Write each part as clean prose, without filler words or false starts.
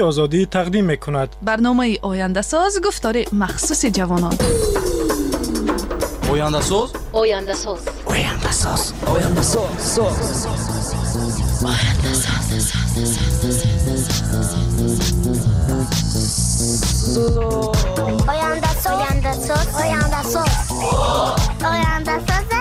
Озодӣ тақдим мекунад. Барномаи ояндасоз, гуфтори махсуси ҷавонон. Ояндасоз, ояндасоз, ояндасоз, ояндасоз, ояндасоз, ояндасоз, ояндасоз, ояндасоз.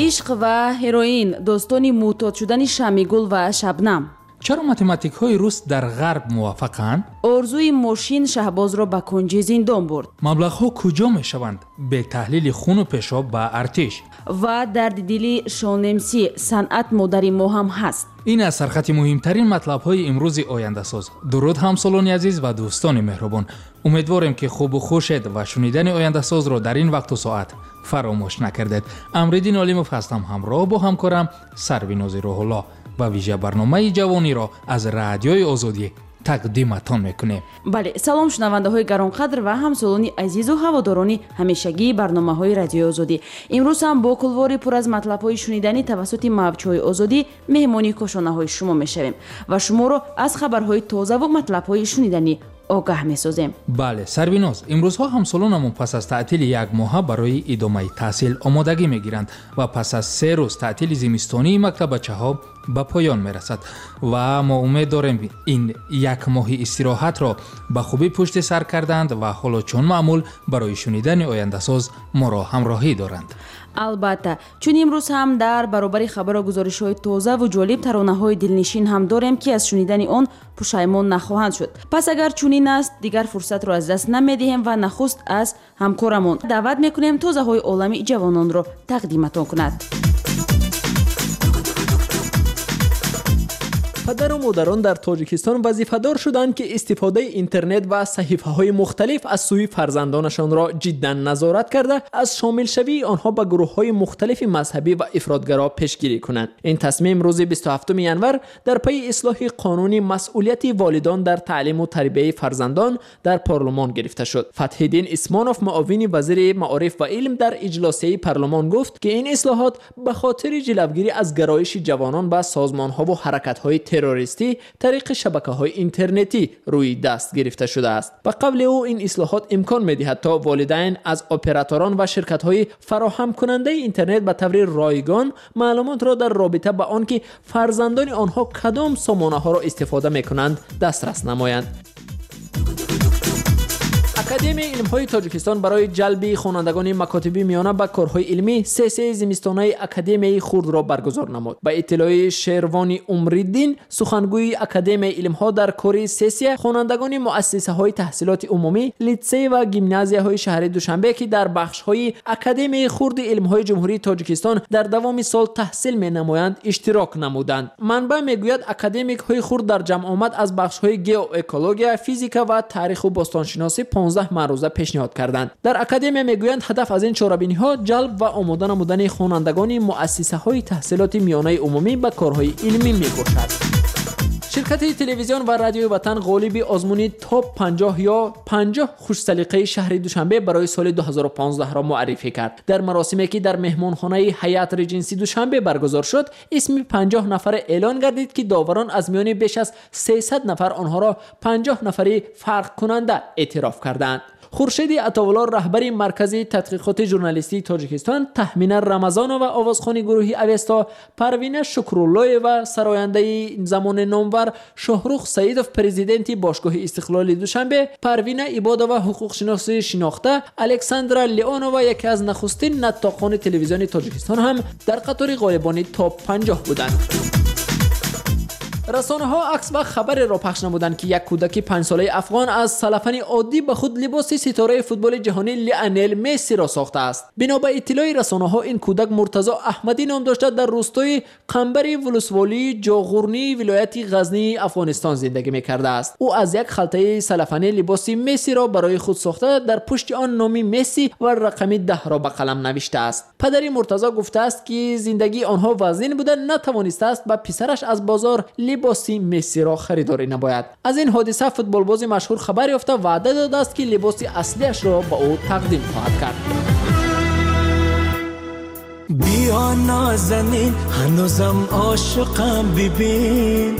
Ишқ ва ҳероин, достони муътод шудани Шамигул ва Шабнам. Чаро математикҳои рус дар ғарб муваффақанд? Орзуи мошин Шаҳбозро ба кунҷи зиндон бурд. Маблағҳо куҷо мешаванд? Бетаҳлили хуну пешоб ба артиш. Ва дарди дили Шонемсӣ, санъат модари мо ҳам ҳаст. Ин аз сархати муҳимтарин матлабҳои имрӯзи ояндасоз. Дуруд, ҳамсолони азиз ва дӯстони меҳрубон. Умедворем, ки хубу хушед ва шунидани ояндасозро дар ин вақту соат фаромӯш накардед. Амриддин Олимов ҳастам, ҳамроҳ бо ҳамкорам Сарвинози Рӯҳулло ва вижа барномаи ҷавониро аз Радиои Озодӣ тақдиматон мекунем. Бале, салом шунавандаҳои гаронқадр ва ҳамсолони азизу ҳаводорони ҳамешагии барномаҳои Радиои Озодӣ. Имрӯз ҳам бо кулвори пур аз матлабҳои шуниданӣ тавассути мавҷҳои Озодӣ меҳмони кошонаҳои шумо мешавем ва шуморо аз хабарҳои тозаву матлабҳои шуниданӣ огаҳ месозем. Бале, Сарвиноз, имрӯзҳо ҳамсолонамон пас аз таътили як моҳа барои идомаи таҳсил омодагӣ мегиранд ва пас аз 3 рӯз таътили зимистонии мактабачаҳо ба поён мерасад ва мо умед дорем, ин як моҳи истироҳатро ба хубӣ пушти сар карданд ва ҳоло чун маъмул барои шунидани ояндасоз моро ҳамроҳӣ доранд. Албатта, чун имрӯз ҳам дар баробари хабару гузоришҳои тозаву ҷолиб таронаҳои дилнишин ҳам дорем, ки аз шунидани он пушаймон нахоҳанд шуд. Пас агар чунин аст, дигар фурсатро аз даст намедиҳем ва нахуст аз ҳамкорамон даъват мекунем, тозаҳои олами ҷавононро тақдиматон кунад. Падару модарон дар Тоҷикистон вазифадор шуданд, ки истифодаи интернет ва саҳифаҳои мухталиф аз сӯи фарзандонашонро ҷиддан назорат карда, аз шомилшавии онҳо ба гурӯҳҳои мухталифи мазҳабӣ ва ифротгаро пешгирӣ кунанд. Ин тасмим рӯзи 27 январ дар пайи ислоҳи қонуни масъулияти волидон дар таълиму тарбияи фарзандон дар парлумон гирифта шуд. Фатҳиддин Исмонов, муовини вазири маориф ва илм, дар иҷлосияи парлумон гуфт, ки ин ислоҳот ба хотири ҷилавгирӣ аз гароиши ҷавонон ба созмонҳову ҳаракатҳои террористӣ тариқи шабакаҳои интернетӣ рӯи даст гирифта шудааст. Ба қавли ӯ, ин ислоҳот имкон медиҳад, то волидайн аз операторон ва ширкатҳои фароҳамкунандаи интернет ба таври ройгон маълумотро дар робита ба он ки фарзандони онҳо кадом сомонаҳоро истифода мекунанд, дастрас намоянд. Академияи илмҳои Тоҷикистон барои ҷалби хонандагони макотиби миёна ба корҳои илмӣ сессияи зимистонаи Академияи хурдро баргузор намуд. Ба иттилои Шервони Умриддин, сухангӯи Академияи илмҳо, дар кори сессия хонандагони муассисаҳои таҳсилоти умумӣ, литсей ва гимназияҳои шаҳри Душанбе, ки дар бахшҳои Академияи хурди илмҳои Ҷумҳурии Тоҷикистон дар давоми сол таҳсил менамоянд, иштирок намуданд. Манбаъ мегӯяд, академикҳои хурд дар ҷамъомад аз бахшҳои геоэкология, физика ва таъриху бостоншиносӣ 15 маъруза пешниҳод карданд. Дар академия мегӯянд, ҳадаф аз ин чорабиниҳо ҷалб ва омода намудани хонандагони муассисаҳои таҳсилоти миёнаи умумӣ ба корҳои илмӣ мебошад. Ширкати телевизион ва радиои Ватан ғолиби озмуни топ 50 ё 50 хушсалиқаи шаҳри Душанбе барои соли 2015-ро муаррифӣ кард. Дар маросиме, ки дар меҳмонхонаи Ҳаят Реҷенси Душанбе баргузор шуд, исми 50 нафаре эълон гардид, ки доварон аз миёни беш аз 300 нафар онҳоро 50 нафари фарқкунанда эътироф карданд. Хуршеди Атовулло, раҳбари Маркази тадқиқоти журналистии Тоҷикистон, Таҳмина Рамазонова, овозхони гурӯҳи Авесто, Парвина Шукруллоева, сарояндаи замони номвар, Шоҳрух Саидов, президенти Бошгоҳи Истиқлоли Душанбе, Парвина Ибодова, ҳуқуқшиноси шинохта, Александра Леонова, яке аз нахустин наттоқони телевизиони Тоҷикистон, ҳам дар қатори ғолибони топ 50 буданд. Расонаҳо акс ва хабареро пахш намуданд, ки як кӯдаки панҷсолаи афғон аз салафани оддӣ ба худ либоси ситораи футболи ҷаҳонӣ Лионел Мессиро сохтааст. Бино ба иттилои расонаҳо, ин кӯдак Муртазо Аҳмадӣ ном дошта, дар рӯстои Қамбари вулусволии Ҷоғурнии вилояти Ғазнии Афғонистон зиндагӣ мекардааст. Ӯ аз як халтаи салафанӣ либоси Мессиро барои худ сохта, дар пушти он номи Месси ва рақами 10-ро ба қалам навиштааст. Падари Муртазо гуфтааст, ки зиндагии онҳо вазнин буда, натавонистааст ба писараш аз бозор либоси Мессиро харидорӣ намояд. Аз ин ҳодиса футболбози машҳур хабар ёфта, ваъда додааст, ки либоси аслиашро ба ӯ тақдим хоҳад кард. Биё нозанин, ҳанӯзам ошиқам, бибин,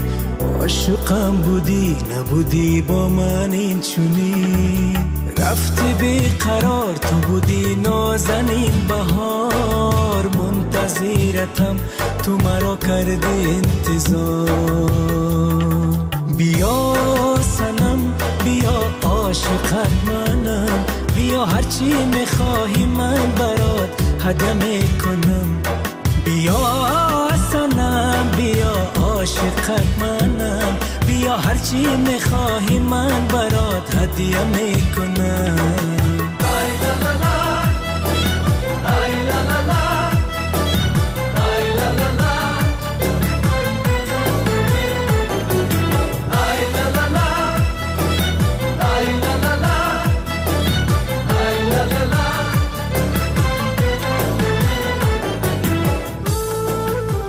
ошиқам будӣ набудӣ бо ман инчунин, рафти беқарор, ту будӣ нозанин баҳор, мунтазиратам, ту маро кардӣ интизор. Биё санам, биё ошиқат манам, биё ҳарчи мехоҳӣ ман барот ҳадя мекунам. Биё санам, биё ошиқат манам, биё ҳарчи мехоҳӣ ман барот ҳадя мекунам.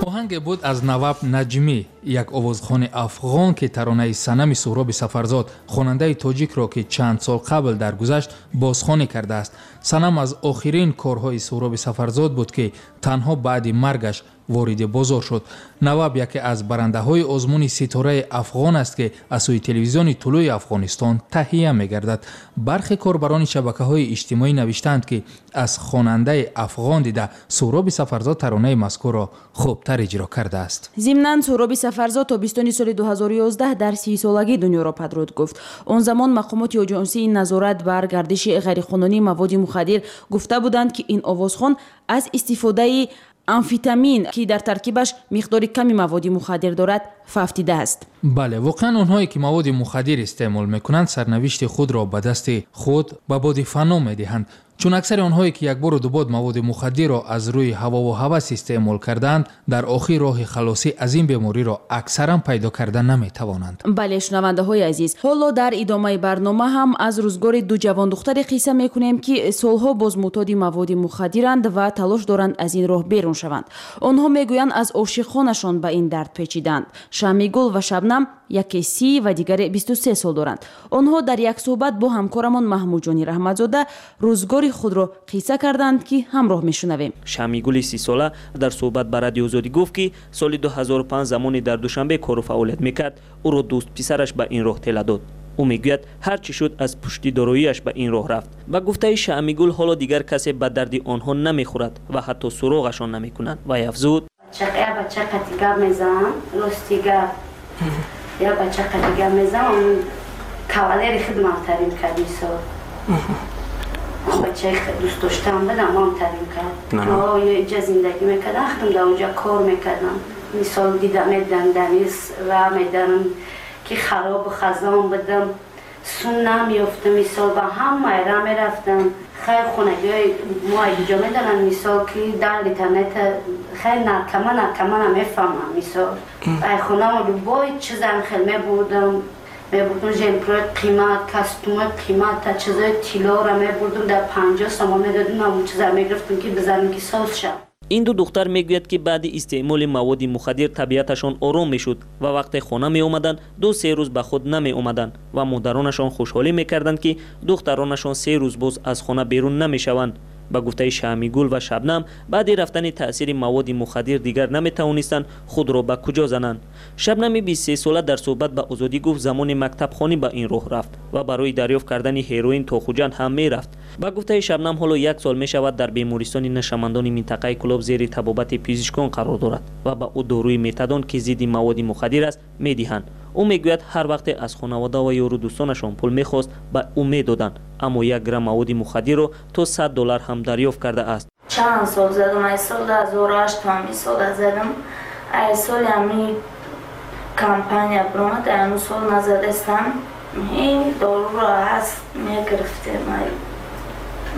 Оҳанге буд аз Наваб Наҷмӣ, як овозхони афғон, ки таронаи санами Суҳроби Сафарзод, хонандаи тоҷикро, ки чанд сол қабл даргузашт, бозхонӣ кардааст. Санам аз охирин корҳои Суҳроби Сафарзод буд, ки танҳо баъди маргаш вориди бозор шуд. Наваб яке аз барандаҳои озмуни ситораи афғон аст, ки аз сӯи телевизиони Тулӯи Афғонистон таҳия мегардад. Бархе корбарони шабакаҳои иҷтимоӣ навиштаанд, ки аз хонандаи афғон дида Суҳроби Сафарзод таронаи мазкурро хубтар иҷро кардааст. Зимнан Суҳроби Сафарзод тобистони соли 2011 дар 30-солагӣ дунёро падруд гуфт. Он замон мақомоти оҷонсии назорат бар гардиши ғайриқонунии маводи мухаддир гуфта буданд, ки ин овозхон аз истифодаи амфитамин, ки дар таркибаш миқдори ками маводи мухаддир дорад, фавтидааст. Бале, воқеан онҳое ки маводи мухаддир истеъмол мекунанд, сарнавишти худро ба дасти худ ба боди фано медиҳанд. Чун аксари онҳое ки якбору дубод маводи мухаддирро аз рӯи ҳавову ҳавас истеъмол кардаанд, дар охир роҳи халосӣ аз ин бемориро аксаран пайдо карда наметавонанд. Бале, шунавандаҳои азиз, ҳоло дар идомаи барнома ҳам аз рӯзгори ду ҷавондухтаре қисса мекунем, ки солҳо боз мӯътоди маводи мухаддиранд ва талош доранд аз ин роҳ берун шаванд. Онҳо мегӯянд, аз ошиқонашон ба ин дард печиданд. Шамигул ва Шабнам яке 30 ва дигаре 23 сол доранд. Онҳо дар як суҳбат бо ҳамкорамон Маҳмудҷони Раҳматзода рӯзгори худро қисса карданд, ки ҳамроҳ мешунавем. Шамигули 30-сола дар суҳбат ба Радио Озодӣ гуфт, ки соли 2005 замоне дар Душанбе кору фаъолият мекард, ӯро дӯст писараш ба ин роҳ тела дод. Ӯ мегӯяд, ҳар чӣ шуд аз пушти дороиаш ба ин роҳ рафт. Ба гуфтаи Шамигул, ҳоло дигар касе ба дарди онҳо намехӯрад ва ҳатто суроғашон намекунанд. Вай афзуд: я бача қати гап мезанам, рости гап, я бача қати гап мезанам, кавалери хидмат тарим кард, мисол бачаи дӯст доштам будам, ман тарим кард. Инҷа зиндагӣ мекардам, худам дар онҷа кор мекардам. Мисол дида медам, дамис ра медам, ки харобу хазон будам, сун намеёфтам, мисол ба ҳамаи ра мерафтам. Хайр, хонагиҳои мо инҷо медонанд, мисол ки дар интернет хайр наркоман намефаҳмам, мисол ай хонамо любой чизам хел мебурдам, жемпрои қимат, костюмои қимат, чизои тиллоро мебурдам, дар 50 сомон медодим, ҳамон чиза мегирифтам, ки бизанем, ки соз шав. Ин ду духтар мегӯяд, ки баъди истеъмоли маводи мухаддир табиаташон ором мешуд ва вақте хона меомаданд, 2-3 рӯз ба худ намеомаданд ва модаронашон хушҳолӣ мекарданд, ки духтаронашон 3 рӯз боз аз хона берун намешаванд. Ба гуфтаи Шамигул ва Шабнам, баъди рафтани таъсири маводи мухаддир дигар наметавонистанд худро ба куҷо зананд. Шабнами 23-сола дар суҳбат ба Озодӣ гуфт, замони мактабхонӣ ба ин роҳ рафт ва барои дарёфт кардани ҳероин то Хуҷанд ҳам мерафт. Ба гуфтаи Шабнам, ҳоло 1 сол мешавад дар бемористони нашамандони минтақаи Кӯлоб зери табобати пизишкон қарор дорад ва ба ӯ доруи метадон, ки зидди маводи мухаддир аст, медиҳанд. Ӯ мегӯяд, ҳар вақте аз хонавода ва ёру дӯстонашон пул мехост, ба ӯ медоданд, аммо 1 грамм маводи мухаддирро то $100 ҳам дарёфт кардааст. Чанд сол задам, ай сол 2008 ҳами сола задам, ай соли ҳами Кампания биромад, ҳанӯз сол назадастам. Ин доруро ҳаст мегирифтем.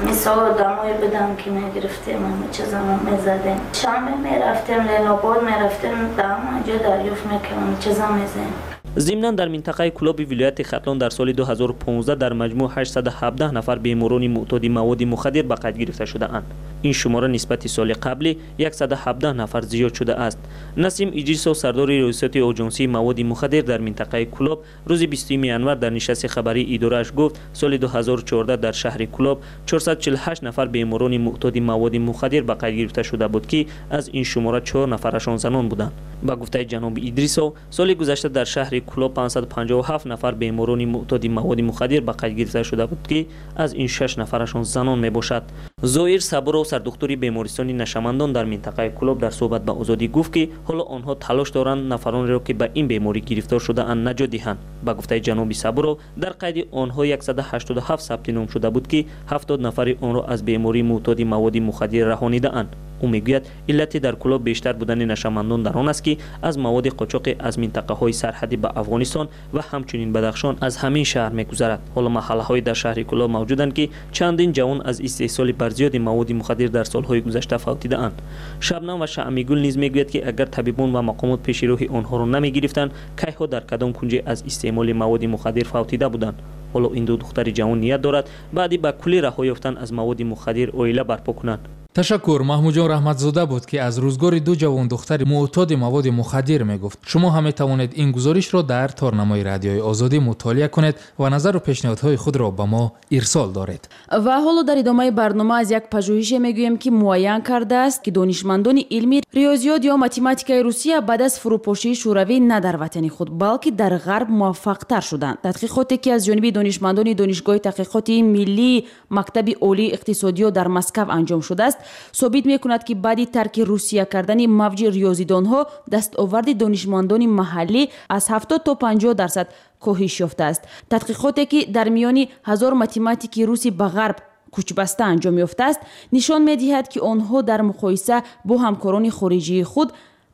Мисол, одамое будам, ки мегирифтем, ҳама чизамо мезадем. Шанбе мерафтем, Ленобод мерафтем, дар ҳама ҷо дарёфт мекардем, ҳама чиза мезадем. Зимнан, дар минтақаи Кӯлоби вилояти Хатлон дар соли 2015 дар маҷмӯъ 817 нафар беморони муътоди маводи мухаддир ба қайд гирифта шудаанд. Ин шумора нисбати соли қаблӣ 117 нафар зиёд шудааст. Насим Идрисов, сардори раёсати оҷонсии маводи мухаддир дар минтақаи Кӯлоб, рӯзи 20 январ дар нишасти хабарии идорааш гуфт, соли 2014 дар шаҳри Кӯлоб 448 нафар беморони муътоди маводи мухаддир ба қайд гирифта шуда буд, ки аз ин шумора 4 нафарашон занон буданд. Ба гуфтаи ҷаноби Идрисов, соли гузашта дар шаҳри Кӯлоб 557 нафар беморони муътоди маводи мухаддир ба қайд гирифта шуда буд, ки аз ин 6 нафарашон занон мебошад. Зоир Сабуров, сардухтури бемористони нашамандон дар минтақаи Кӯлоб, дар суҳбат ба Озодӣ гуфт, ки ҳоло онҳо талош доранд нафаронеро, ки ба ин беморӣ гирифтор шудаанд, наҷот диҳанд. Ба гуфтаи ҷаноби Сабуров, дар қайди онҳо 187 сабти ном шуда буд, ки 70 нафари онро аз бемории муътоди маводи мухаддир раҳонидаанд. Ӯ мегӯяд, иллати дар Кӯлоб бештар будани нашамандон дар он аст, ки аз маводи қочоқи аз минтақаҳои сарҳадӣ ба Афғонистон ва ҳамчунин Бадахшон аз ҳамин шаҳр мегузарад. Ҳоло маҳаллаҳое дар шаҳри Кӯлоб мавҷуданд, ки чандин ҷавон аз истеҳсоли барзиёди маводи мухаддир дар солҳои гузашта фавтидаанд. Шабнам ва Шаъмигул низ мегӯяд, ки агар табибон ва мақомот пеши роҳи онҳоро намегирифтанд, кайҳо дар кадом кунҷе аз истеъмоли маводи мухаддир фавтида буданд. Ҳоло ин ду духтари ҷавон ният дорад баъди ба куллӣ раҳо ёфтан аз маводи мухаддир оила барпо кунанд. Ташаккур. Маҳмудҷон Раҳматзода буд, ки аз рӯзгори ду ҷавондухтари муътоди маводи мухаддир мегуфт. Шумо ҳам метавонед ин гузоришро дар торнамои Радиои Озодӣ мутолиа кунед ва назару пешниҳодҳои худро ба мо ирсол доред. Ва ҳоло дар идомаи барнома аз як пажӯҳише мегӯем, ки муайян кардааст, ки донишмандони илми риёзиёт ё математикаи Русия баъд аз фурӯпошии Шӯравӣ на дар ватани худ, балки дар Ғарб муваффақтар шуданд. Тадқиқоте, ки аз ҷониби донишмандони Донишгоҳи таҳқиқоти миллии Мактаби олии иқтисодиёт дар Москав анҷом шудааст, собит мекунад, ки баъди тарки Русия кардани мавҷи риёзидонҳо дастоварди донишмандони маҳаллӣ аз 70 то 50% коҳиш ёфтааст. Тадқиқоте, ки дар миёни 1000 математики руси ба Ғарб кӯчбаста анҷом ёфтааст, нишон медиҳад, ки онҳо дар муқоиса бо ҳамкорони хориҷии худ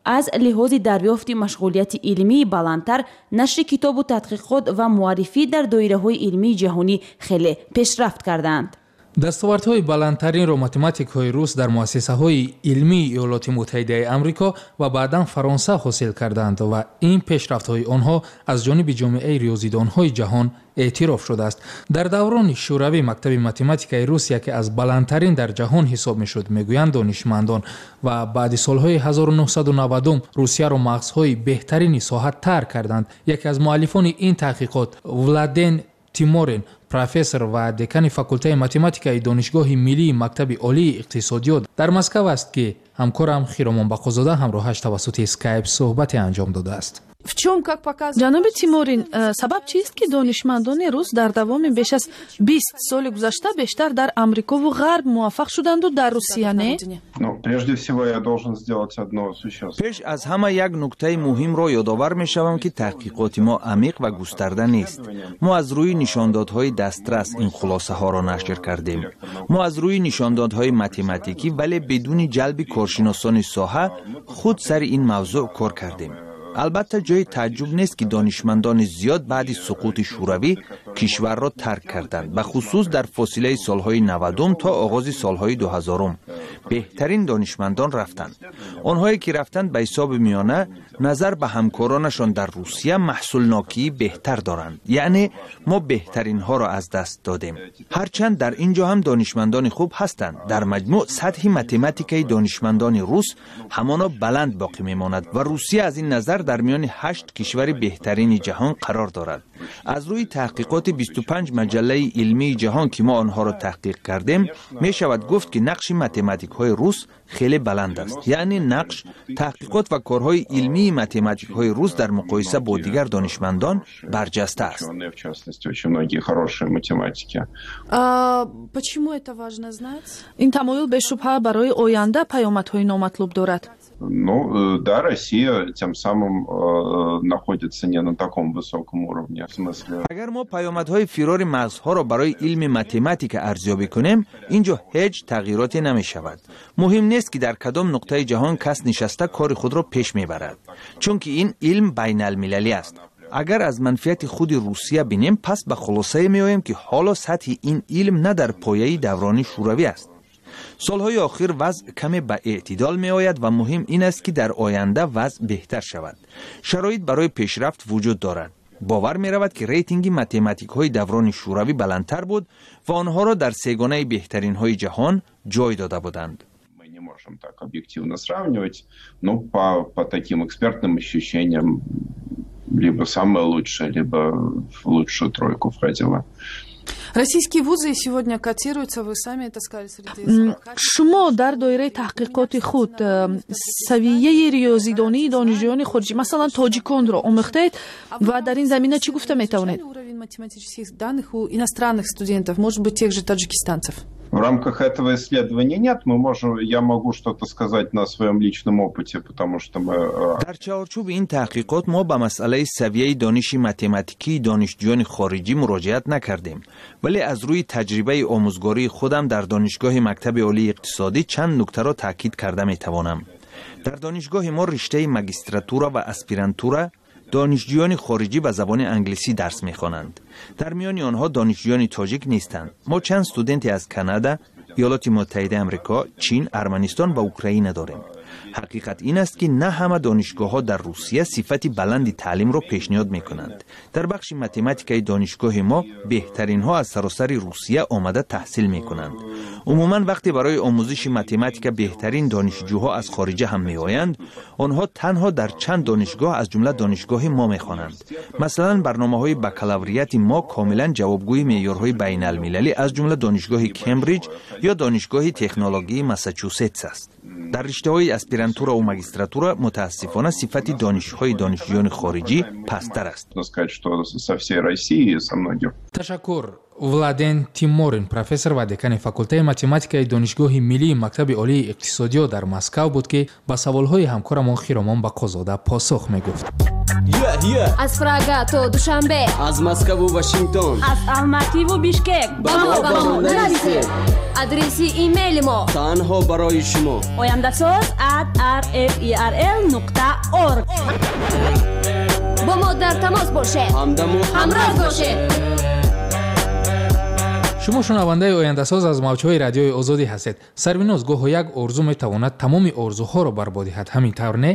аз лиҳози дарёфти машғулияти илмии баландтар, нашри китобу тадқиқот ва муаррифӣ дар доираҳои илмии ҷаҳонӣ хеле пешрафт кардаанд. Дастовардҳои баландтаринро математикҳои рус дар муассисаҳои илмии Иёлоти Муттаҳидаи Амрико ва баъдан Фаронса ҳосил карданд ва ин пешрафтҳои онҳо аз ҷониби ҷомеаи риёзидонҳои ҷаҳон эътироф шудааст. Дар даврони Шӯравӣ мактаби математикаи рус яке аз баландтарин дар ҷаҳон ҳисоб мешуд, мегӯянд донишмандон, ва баъди солҳои 1990 Русияро мағзҳои беҳтарини соҳа тарк карданд. Яке аз муаллифони ин таҳқиқот, Владен Тиморин, профессор ва декани факултаи математикаи Донишгоҳи миллии Мактаби олии иқтисодиёт дар Москав аст, ки ҳамкорам Хиромон Бақозода ҳамроҳаш тавассути Скайп суҳбате анҷом додааст. В чем, как показывает? Ҷаноби Тиморин, сабаб чист, ки донишмандони рус дар давоми беш аз 20 соли гузашта бештар дар Амрикову Ғарб муваффақ шуданду дар Русия не? Ну, прежде всего я должен сделать одно существенное. Пеш аз ҳама як нуктаи муҳимро ёдовар мешавам, ки таҳқиқоти мо амиқ ва густарда нест. Мо аз рӯи нишондодҳои дастрас ин хулосаҳоро нашр кардем. Мо аз рӯи нишондодҳои математикӣ, вале бидуни ҷалби коршиносони соҳа худ сари ин мавзӯъ кор кардем. Албатта, ҷои тааҷҷуб нест, ки донишмандони зиёд баъди суқути Шӯравӣ кишварро тарк карданд. Бахусус дар фосилаи солҳои 90-ум то оғози солҳои 2000-ум беҳтарин донишмандон рафтанд. Онҳое ки рафтанд, ба ҳисоби миёна назар ба ҳамкоронашон дар Русия маҳсулнокии беҳтар доранд. Яъне мо беҳтаринҳоро аз даст додем, ҳарчанд дар ин ҷо ҳам донишмандони хуб ҳастанд. Дар маҷмӯъ сатҳи математикаи донишмандони рус ҳамоно баланд боқӣ мемонад ва Русия аз ин назар дар миёни ҳашт кишвари беҳтарини ҷаҳон қарор дорад. Аз рӯи таҳқиқоти 25 маҷаллаи илмии ҷаҳон, ки мо онҳоро таҳқиқ кардем, мешавад гуфт, ки нақши математикҳои рус хеле баланд аст. Яъне нақш, таҳқиқот ва корҳои илмии математикҳои рус дар муқоиса бо дигар донишмандон барҷаста аст. В частности, очень многие хорошие математики. Почему это важно знать? Ин тамоюл бешубҳа барои оянда паёмадҳои номатлуб дорад. Ну, да, Россия тем самым находится не на таком высоком уровне. В смысле... Агар мо паёмадҳои фирори мағзҳоро барои илми математика арзёбӣ кунем, ин ҷо ҳеҷ тағйироте намешавад. Муҳим нест, ки дар кадом нуқтаи ҷаҳон кас нишаста кори худро пеш мебарад, чунки ин илм байналмилалӣ аст. Агар аз манфиати худи Русия бинем, пас ба хулосае меоем, ки ҳоло сатҳи ин илм на дар пояи даврони шӯравӣ аст. Солҳои охир вазъ каме ба эътидол меояд ва муҳим ин аст, ки дар оянда вазъ беҳтар шавад. Шароит барои пешрафт вуҷуд дорад. Бовар меравад, ки рейтинги математикҳои даврони шӯравӣ баландтар буд ва онҳоро дар сегонаи беҳтаринҳои ҷаҳон ҷой дода буданд. Мы не можем так объективно сравнивать, но по таким экспертным ощущениям либо самое лучшее, либо в лучшую тройку входила. Российские вузы сегодня котируются, вы сами это сказали, среди... Шумо дар доираи таҳқиқоти худ савияи риёзидонии донишҷӯёни хориҷӣ, масалан, тоҷиконро омӯхтаед ва дар ин замина чӣ гуфта метавонед? Уровень математических данных у иностранных студентов, может быть, тех же таджикистанцев? В рамках этого исследования нет. Я могу что-то сказать на своем личном опыте, потому что мы... Дар чаҳорчӯби ин таҳқиқот мо ба масъалаи савияи дониши математикии донишҷӯёни хориҷӣ муроҷиат накардем, вале аз рӯи таҷрибаи омӯзгории худам дар донишгоҳи мактаби олии иқтисодӣ чанд нуктаро таъкид карда метавонам. Дар донишгоҳи мо риштаи магистратура ва аспирантура донишҷӯёни хориҷӣ ба забони англисӣ дарс мехонанд. Дар миёни онҳо донишҷӯёни тоҷик нестанд. Мо чанд студенте аз Канада, Иёлоти Муттаҳидаи Амрико, Чин, Арманистон ва Украина дорем. Ҳақиқат ин аст, ки на ҳама донишгоҳҳо дар Русия сифати баланди таълимро пешниҳод мекунанд. Дар бахши математикаи донишгоҳи мо беҳтаринҳо аз саросари Русия омада таҳсил мекунанд. Умуман, вақте барои омӯзиши математика беҳтарин донишҷӯҳо аз хориҷа ҳам меоянд, онҳо танҳо дар чанд донишгоҳ, аз ҷумла донишгоҳи мо, мехонанд. Масалан, барномаҳои бакалаврияти мо комилан ҷавобгӯи меъёрҳои байналмилалӣ, аз ҷумла донишгоҳи Кембриҷ ё донишгоҳи технологии Массачусетс аст. Дар риштаҳои аспирантураву магистратура, мутаассифона, сифати донишҳои донишҷӯёни хориҷӣ пасттар аст. Ташаккур. Владен Тиморин, профессор ва декани факултаи математикаи Донишгоҳи миллии мактаби олии иқтисодиёт дар Москав буд, ки ба саволҳои ҳамкорамон Хиромон Бақозода посух мегуфт. Аз Прага то Душанбе, аз Москаву Вашингтон, аз Алмативу Бишкек ба мо нависед. Адреси имейли мо танҳо барои шумо: ояндасоз@rferl.org. Бо мо дар тамос бошед, ҳамдаму ҳамроз бошед. Шумо шунавандаи Ояндасоз аз мавҷҳои Радиои Озодӣ ҳастед. Сарвиноз, гоҳо як орзу метавонад тамоми орзуҳоро барбод диҳад, ҳамин тавр, не?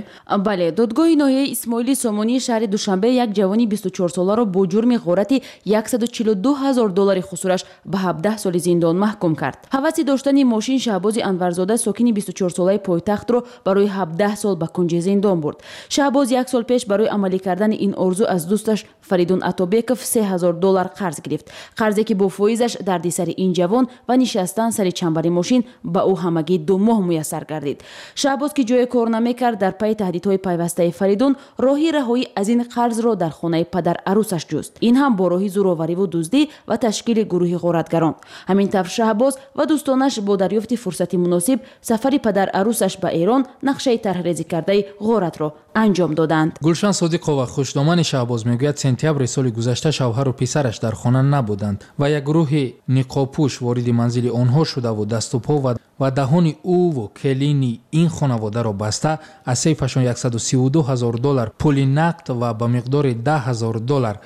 Бале, додгоҳи ноҳияи Исмоили Сомонии шаҳри Душанбе як ҷавони 24-соларо бо ҷурми ғорати 142 ҳазор доллари хусураш ба 17 соли зиндон маҳкум кард. Ҳаваси доштани мошин Шаҳбози Анварзода, сокини 24-солаи пойтахтро, барои 17 сол ба кунҷи зиндон бурд. Шаҳбоз як сол пеш барои амалӣ кардани ин орзу аз дӯсташ Фаридун Атобеков 3 ҳазор доллар қарз гирифт, қарзе ки бо фоизаш дардисари ин ҷавон ва нишастан сари чамбари мошин ба ӯ ҳамагӣ 2 моҳ муяссар гардид. Шаҳбоз, ки ҷое кор намекард, дар пайи таҳдидҳои пайвастаи Фаридун роҳи раҳоӣ аз ин қарзро дар хонаи падар арӯсаш ҷуст. Ин ҳам бо роҳи зӯровариву дуздӣ ва ташкили гурӯҳи ғоратгарон. Ҳамин тавр Шаҳбоз ва дӯстонаш бо дарёфти фурсати муносиб, сафари падар арӯсаш ба Эрон, нақшаи тарҳрезӣ кардаи ғоратро анҷом доданд. Гулшан Содиқова, хушдомани Шаҳбоз, мегӯяд, сентябри соли гузашта шавҳару писараш дар хона набуданд ва як гурӯҳи ниқобпӯш вориди манзили онҳо шудаву дасту по ва даҳони ӯву келини ин хонаводаро баста, аз сейфашон 132 ҳазор доллар пули нақд ва ба миқдори 10 ҳазор доллар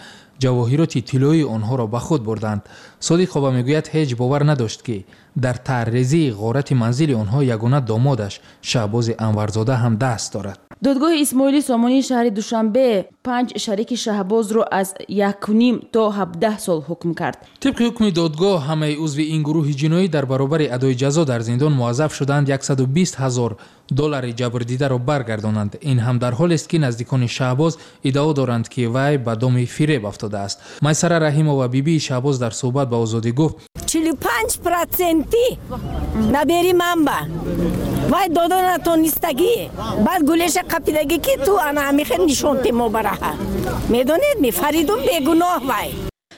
ҷавоҳироти тиллоии онҳоро ба худ бурданд. Содиқова мегӯяд, ҳеҷ бовар надошт, ки дар тарҳрезии ғорати манзили онҳо ягона домодаш Шаҳбози Анварзода ҳам даст дорад. Додгоҳи Исмоили Сомонии шаҳри Душанбе панҷ шарики Шаҳбозро аз 1,5 то 17 сол ҳукм кард. Тибқи ҳукми додгоҳ, ҳамаи узви ин гурӯҳи ҷиноӣ дар баробари адои ҷазо дар зиндон муаззаф шуданд 120 ҳазор доллари ҷабрдидаро баргардонанд. Ин ҳам дар ҳолест, ки наздикони Шаҳбоз иддао доранд, ки вай ба доми фиреб афтодааст. Майсара Раҳимова, бибии Шаҳбоз, дар суҳбат ба Озодӣ гуфт: 45% набери манба вай дода натонистагӣ, баъд гулеша қапидагӣ, ки ту ана ҳамихел нишонте мо бараҳа. Медонед ми, Фаридун бегуноҳ вай.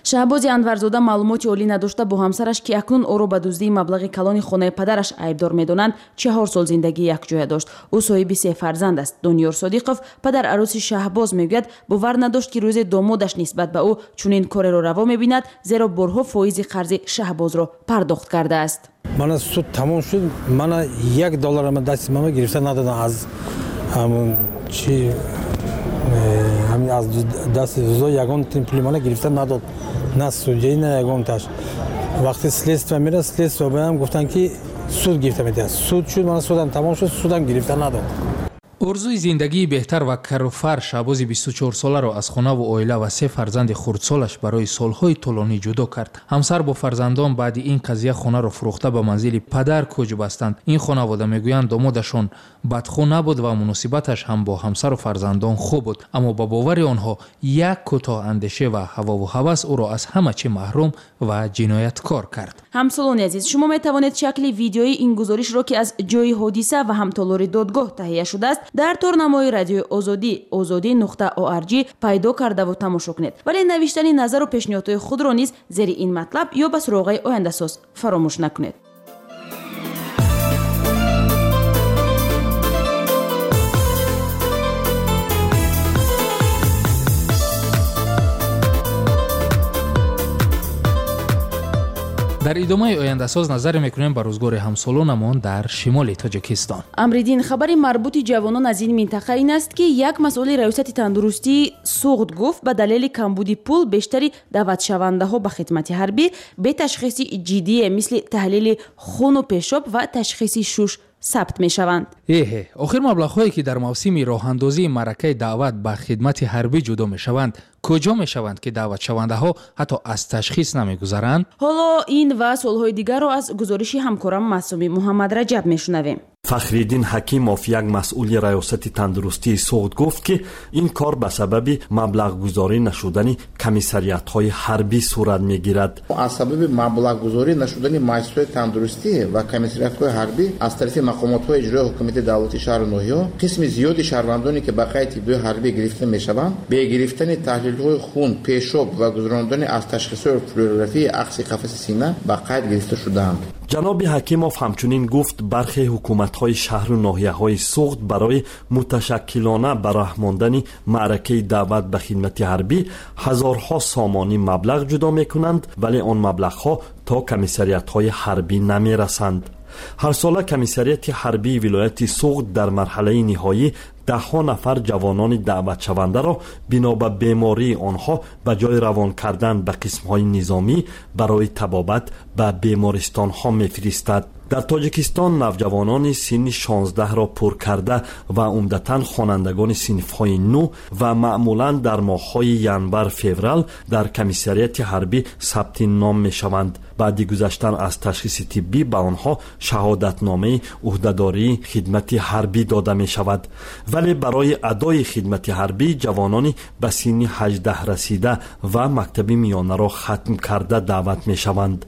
Шаҳбози Анварзода маълумоти олӣ надошта, бо ҳамсараш, ки акнун ӯро ба дуздии маблағи калони хонаи падараш айбдор медонанд, 4 сол зиндагии якҷоя дошт. Ӯ соҳиби 3 фарзанд аст. Дониёр Содиқов, падар арӯси Шаҳбоз, мегӯяд, бовар надошт, ки рӯзе домодаш нисбат ба ӯ чунин кореро раво мебинад, зеро борҳо фоизи қарзи Шаҳбозро пардохт кардааст. Мана суд тамом шуд, мана $1 ма дасти мама гирифта надодам аз чи аз дасти зо ягон пули мана гирифта надод, на судяи, на ягонташ. Вақте следствие мера, следствие баям гуфтанд, ки суд гирифта медиҳад. Суд шуд, мана судам тамом шуд, судам гирифта надод. Орзуи зиндагии беҳтар ва каруфар Шаҳбози 24-соларо аз хонаву оила ва 3 фарзанди хурдсолаш барои солҳои тӯлонӣ ҷудо кард. Ҳамсар бо фарзандон баъди ин қазия хонаро фурӯхта ба манзили падар кӯч бастанд. Ин хонавода мегӯянд, домодашон бадхӯ набуд ва муносибаташ ҳам бо ҳамсару фарзандон хуб буд, аммо ба бовари онҳо як кӯтоҳандеше ва ҳавову ҳавас ӯро аз ҳама чӣ маҳрум ва ҷинояткор кард. Ҳамсолони азиз, шумо метавонед шакли видеои ин гузоришро, ки аз ҷои ҳодиса ва ҳам толори додгоҳ таҳия шудааст, дар торнамои радиои Озодӣ ozodi.org пайдо кардаву тамошо кунед. Вале навиштани назару пешниҳодҳои худро низ зери ин матлаб ё ба суроғаи ояндасоз фаромӯш накунед. Дар идомаи ояндасоз назар мекунем ба рӯзгори ҳамсолонамон дар шимоли Тоҷикистон. Амриддин, хабари марбути ҷавонон аз ин минтақа ин аст, ки як масъули раёсати тандурустии Суғд гуфт, ба далели камбуди пул бештари даъватшавандаҳо ба хидмати ҳарбӣ бе ташхиси ҷиддие мисли таҳлили хуну пешоб ва ташхиси шуш сабт мешаванд. Эҳе, охир маблағҳое, ки дар мавсими роҳандозии маъракаи даъват ба хидмати ҳарбӣ ҷудо мешаванд, куҷо мешаванд, ки даъватшавандаҳо ҳатто аз ташхис намегузаранд? Ҳоло ин ва суолҳои дигарро аз гузориши ҳамкорам Маъсуми Муҳаммадраҷаб мешунавем. Фахриддин Ҳакимов, як масъули раёсати тандурустии Суғд, гуфт, ки ин кор ба сабаби маблағгузорӣ нашудани комиссариатҳои ҳарбӣ сурат мегирад. Аз сабаби маблағгузорӣ нашудани муассисаҳои тандурустӣ ва комиссариатҳои ҳарбӣ аз тарафи мақомотҳои иҷроии ҳукумати давлатии шаҳру ноҳияҳо, қисми зиёди шаҳрвандоне, ки ба қайди тиббии ҳарбӣ гирифта мешаванд, бе гирифтани таҳлилҳои хун, пешоб ва гузарондани аз ташхисҳои флюорографии акси қафаси сина ба қайд гирифта шудаанд. Ҷаноби Ҳакимов ҳамчунин гуфт, бархе ҳукуматҳои шаҳру ноҳияҳои Суғд барои муташаккилона ба роҳ мондани маъракаи даъват ба хидмати ҳарбӣ ҳазорҳо сомонӣ маблағ ҷудо мекунанд, вале он маблағҳо то комиссариатҳои ҳарбӣ намерасанд. Ҳарсола комиссариати ҳарбии вилояти Суғд дар марҳалаи ниҳоӣ даҳҳо нафар ҷавонони даъватшавандаро бино ба бемории онҳо ба ҷои равон кардан ба қисмҳои низомӣ барои табобат ба бемористонҳо мефиристад. Дар Тоҷикистон навҷавонони синни 16-ро пур карда ва умдатан хонандагони синфҳои 9 ва маъмулан дар моҳҳои январ-феврал дар комиссариати ҳарбӣ сабти ном мешаванд. Баъди гузаштан аз ташхиси тиббӣ ба онҳо шаҳодатномаи ӯҳдадории хидмати ҳарбӣ дода мешавад. Вале барои адои хидмати ҳарбӣ ҷавонони ба синни 18 расида ва мактаби миёнаро хатм карда даъват мешаванд.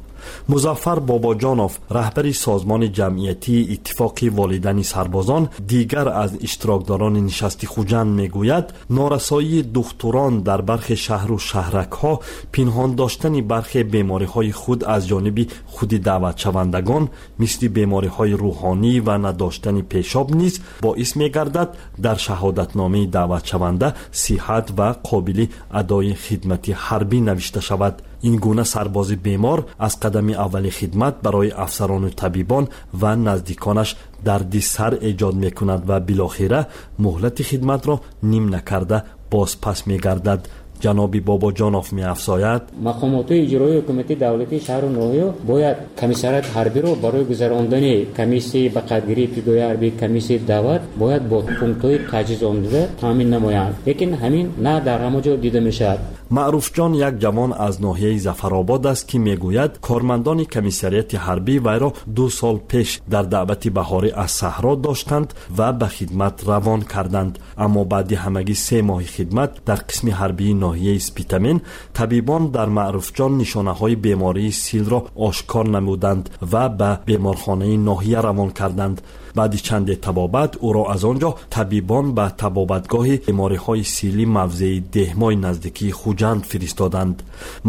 Музаффар Бобоҷонов, раҳбари созмони ҷамъиятии иттифоқи волидани сарбозон, дигар аз иштирокдорони нишасти Хуҷанд мегӯяд, норасоии духтурон дар бархе шаҳру шаҳракҳо, пинҳон доштани бархе бемориҳои худ аз ҷониби худи даъватшавандагон, мисли бемориҳои рӯҳонӣ ва надоштани пешоб низ боис мегардад дар шаҳодатномаи даъватшаванда сиҳат ва қобили адои хидмати ҳарбӣ навишта шавад. Ин гуна сарбози бемор аз қадами аввали хидмат барои афсарону табибон ва наздиконаш дарди сар эҷод мекунад ва билохира муҳлати хидматро ним накарда бозпас мегардад. Ҷаноби Бобоҷонов меафзояд: мақомотҳои иҷроии ҳукумати давлатии шаҳру ноҳия бояд комиссариати ҳарбиро барои гузарондани комиссияи ба қайдгирии ибтидоии ҳарбӣ, комиссияи даъват бояд бо пунктҳои таҷҳизонида таъмин намоянд. Лекин ҳамин на дар ҳама ҷо дида мешавад. Маъруфҷон як ҷавон аз ноҳияи Зафаробод аст, ки мегӯяд кормандони комиссариати ҳарбӣ вайро 2 сол пеш дар даъвати баҳорӣ аз саҳро доштанд ва ба хидмат равон карданд. Аммо баъди ҳамагӣ 3 моҳи хидмат дар қисми ҳарбии ноҳияи Спитамен табибон дар Маъруфҷон нишонаҳои бемории силро ошкор намуданд ва ба беморхонаи ноҳия равон карданд. Баъди чанде табобат ӯро аз он ҷо табибон ба табобатгоҳи бемориҳои силӣ мавзеи Деҳмои наздикии Хуҷанд фиристоданд.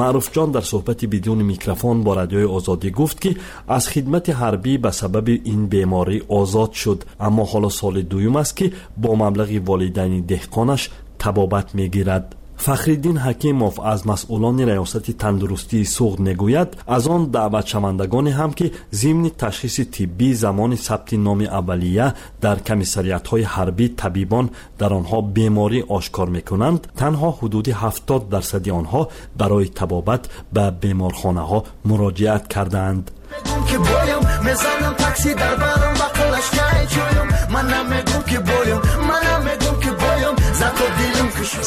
Маъруфҷон дар суҳбати бидуни микрофон бо Радиои Озодӣ гуфт, ки аз хидмати ҳарбӣ ба сабаби ин беморӣ озод шуд, аммо ҳоло соли дуюм аст, ки бо маблағи волидайни деҳқонаш табобат мегирад. Фахриддин Ҳакимов аз масъулони Раёсати тандурустии Суғд мегӯяд, аз он даъватшавандагоне ҳам, ки зимни ташхиси тиббӣ замони сабти номи аввалия дар комиссариатҳои ҳарбӣ табибон дар онҳо беморӣ ошкор мекунанд, танҳо ҳудуди 70% онҳо барои табобат ба беморхонаҳо муроҷиат кардаанд.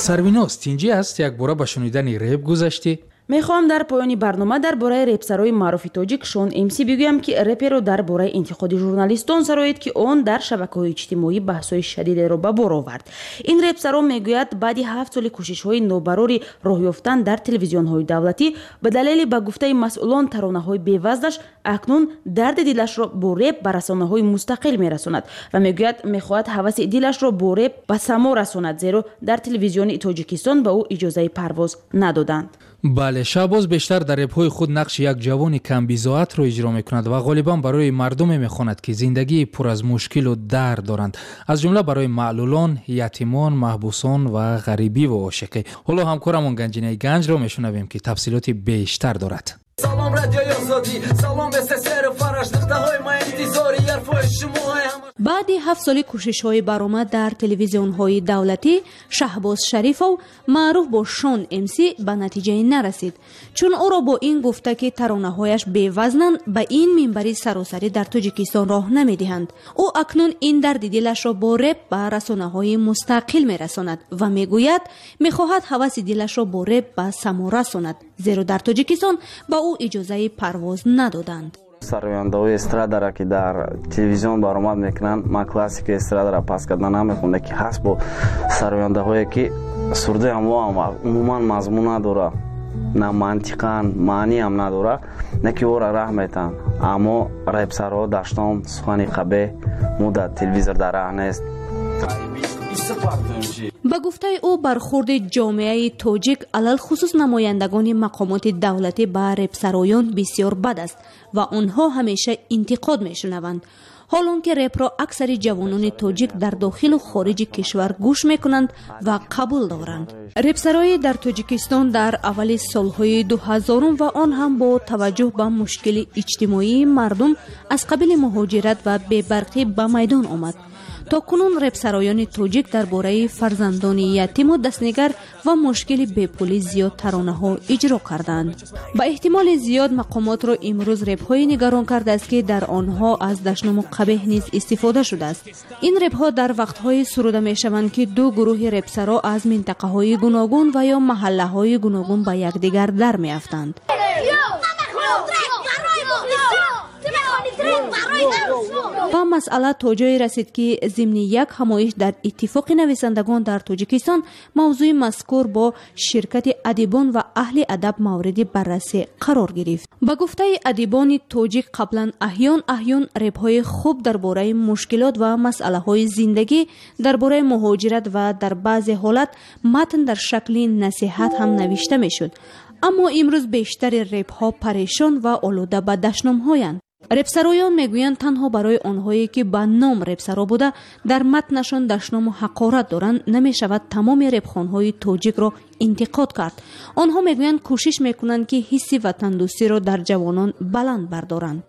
Сарвиноз, тинҷӣ аст? Якбора ба шунидани реп гузаштӣ? Мехоҳам дар поёни барнома дар бораи репсарои маъруфи тоҷик Шон МС бигӯям, ки реперо дар бораи интиқоди журналистон сароид, ки он дар шабакаҳои иҷтимоӣ баҳсҳои шадидеро ба бор овард. Ин репсаро мегӯяд, баъди 7 соли кӯшишҳои нобарори роҳ ёфтан дар телевизионҳои давлатӣ ба далели, ба гуфтаи масъулон, таронаҳои бевазнаш, акнун дарди дилашро бо реп ба расонаҳои мустақил мерасонад ва мегӯяд, мехоҳад ҳаваси дилашро бо реп ба само расонад, зеро дар телевизиони Тоҷикистон ба ӯ иҷозаи парвоз надоданд. Бале, Шаҳбоз бештар дар репҳои худ нақши як ҷавони камбизоатро иҷро мекунад ва ғолибан барои мардуме мехонад, ки зиндагии пур аз мушкилу дард доранд, аз ҷумла барои маълулон, ятимон, маҳбусон ва ғарибиву ошиқӣ. Ҳоло ҳамкорамон Ганҷинаи Ганҷро мешунавем, ки тафсилоти бештар дорад. Салом, Радиои Озодӣ, салом СССР, фараш нуқтаҳои ма интизори ҳарфҳои шумо. Баъди 7 соли кӯшишҳои баромад дар телевизионҳои давлатӣ, Шаҳбоз Шарифов, маъруф бо Шон МС, ба натиҷае нарасид, чун ӯро бо ин гуфта, ки таронаҳояш бевазнанд, ба ин минбари саросарӣ дар Тоҷикистон роҳ намедиҳанд. Ӯ акнун ин дарди дилашро бо реп ба расонаҳои мустақил мерасонад ва мегӯяд, мехоҳад ҳаваси дилашро бо реп ба само расонад, зеро дар Тоҷикистон ба ӯ иҷозаи парвоз надоданд. Сарояндаҳои эстрадара, ки дар телевизион баромад мекунанд, ман классикаи эстрадара пас карда намехонда, ки ҳаст бо сарояндаҳое, ки сурдаи ҳамоам умуман мазмун надора, на мантиқан маъниам надора, на ки ӯра раҳ метаҳанд. Аммо репсаро даштом сухани қабеҳ мо дар телевизор дар раҳ нест. Ба гуфтаи ӯ, бархурди ҷомеаи тоҷик, алалхусус намояндагони мақомоти давлатӣ, ба репсароён бисёр бад аст ва онҳо ҳамеша интиқод мешунаванд. Ҳол он ки репро аксари ҷавонони тоҷик дар дохилу хориҷи кишвар гӯш мекунанд ва қабул доранд. Репсароӣ дар Тоҷикистон дар аввали солҳои 2000 ва он ҳам бо таваҷҷӯҳ ба мушкили иҷтимоии мардум аз қабили муҳоҷират ва бебарқӣ ба майдон омад. То кунун репсароёни тоҷик дар бораи фарзандони ятиму дастнигар ва мушкили бепулӣ зиёд таронаҳо иҷро карданд. Ба эҳтимоли зиёд мақомотро имрӯз репҳое нигарон кардааст, ки дар онҳо аз дашному қабеҳ низ истифода шудааст. Ин репҳо дар вақтҳое суруда мешаванд, ки ду гурӯҳи репсаро аз минтақаҳои гуногун ва ё маҳаллаҳои гуногун ба якдигар дар меафтанд. Ва масъала то ҷое расид, ки зимни як ҳамоиш дар Иттифоқи нависандагон дар Тоҷикистон мавзӯи мазкур бо ширкати адибон ва аҳли адаб мавриди баррасӣ қарор гирифт. Ба гуфтаи адибони тоҷик, қаблан аҳён аҳён репҳои хуб дар бораи мушкилот ва масъалаҳои зиндагӣ, дар бораи муҳоҷират ва дар баъзе ҳолат матн дар шакли насиҳат ҳам навишта мешуд. Аммо имрӯз бештари репҳо парешон ва олуда ба дашномҳоянд. Репсароён мегӯянд, танҳо барои онҳое, ки ба ном репсаро буда, дар матнашон дашному ҳақорат доранд, намешавад тамоми репхонҳои тоҷикро интиқод кард. Онҳо мегӯянд, кӯшиш мекунанд, ки ҳисси ватандӯстиро дар ҷавонон баланд бардоранд.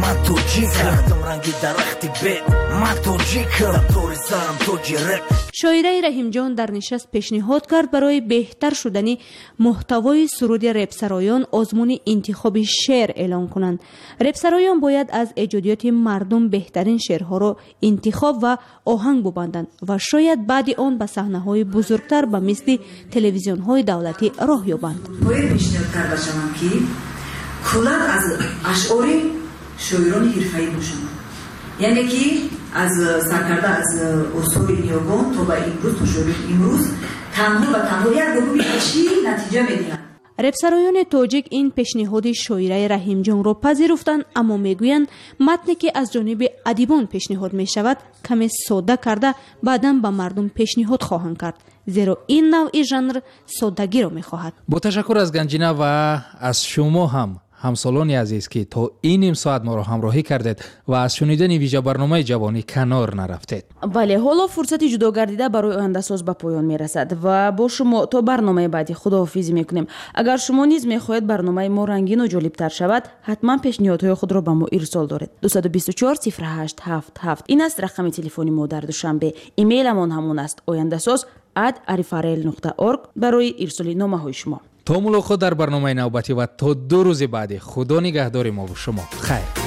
Ман тоҷикам, ранги дарахти бед, ман тоҷикам, тори сарам тоҷи реп. Шоираи Раҳимҷон дар нишаст пешниҳод кард, барои беҳтар шудани муҳтавои суруди репсароён озмуни интихоби шеър эълон кунанд. Репсароён бояд аз эҷодиёти мардум беҳтарин шеърҳоро интихоб ва оҳанг бубанданд ва шояд баъди он ба саҳнаҳои бузургтар ба мисли телевизионҳои давлатӣ роҳ ёбанд. Бояд пешниҳод карда шавам, ки куллан аз ашъори шоирони ҳирфаӣ бошанд, яъне ки аз саркарда аз осори ниёгон то ба имрӯз, то шоирони имрӯз, танҳо ва танҳо як гурӯҳи чӣ натиҷа медиҳанд. Репсароёни тоҷик ин пешниҳоди шоираи Раҳимҷонро пазируфтанд, аммо мегӯянд, матне ки аз ҷониби адибон пешниҳод мешавад, каме содда карда баъдан ба мардум пешниҳод хоҳанд кард, зеро ин навъи жанр соддагиро мехоҳад. Бо ташаккур аз Ганҷина ва аз шумо ҳам, ҳамсолони азиз, ки то ин ним соат моро ҳамроҳӣ кардед ва аз шунидани вижабарномаи ҷавонӣ канор нарафтед. Бале, ҳоло фурсати ҷудогардида барои ояндасоз ба поён мерасад ва бо шумо то барномаи баъдӣ худоҳофизӣ мекунем. Агар шумо низ мехоҳед барномаи мо рангину ҷолибтар шавад, ҳатман пешниҳодҳои худро ба мо ирсол доред. 224 08 77 ин аст рақами телефони мо дар Душанбе. Имейламон ҳамон аст: ояндасоз@arifarel.org барои ирсоли номаҳои шумо. То мулоқот дар барномаи навбатӣ ва то 2 рӯзи баъдӣ, Худо нигаҳдори мову шумо. Хайр.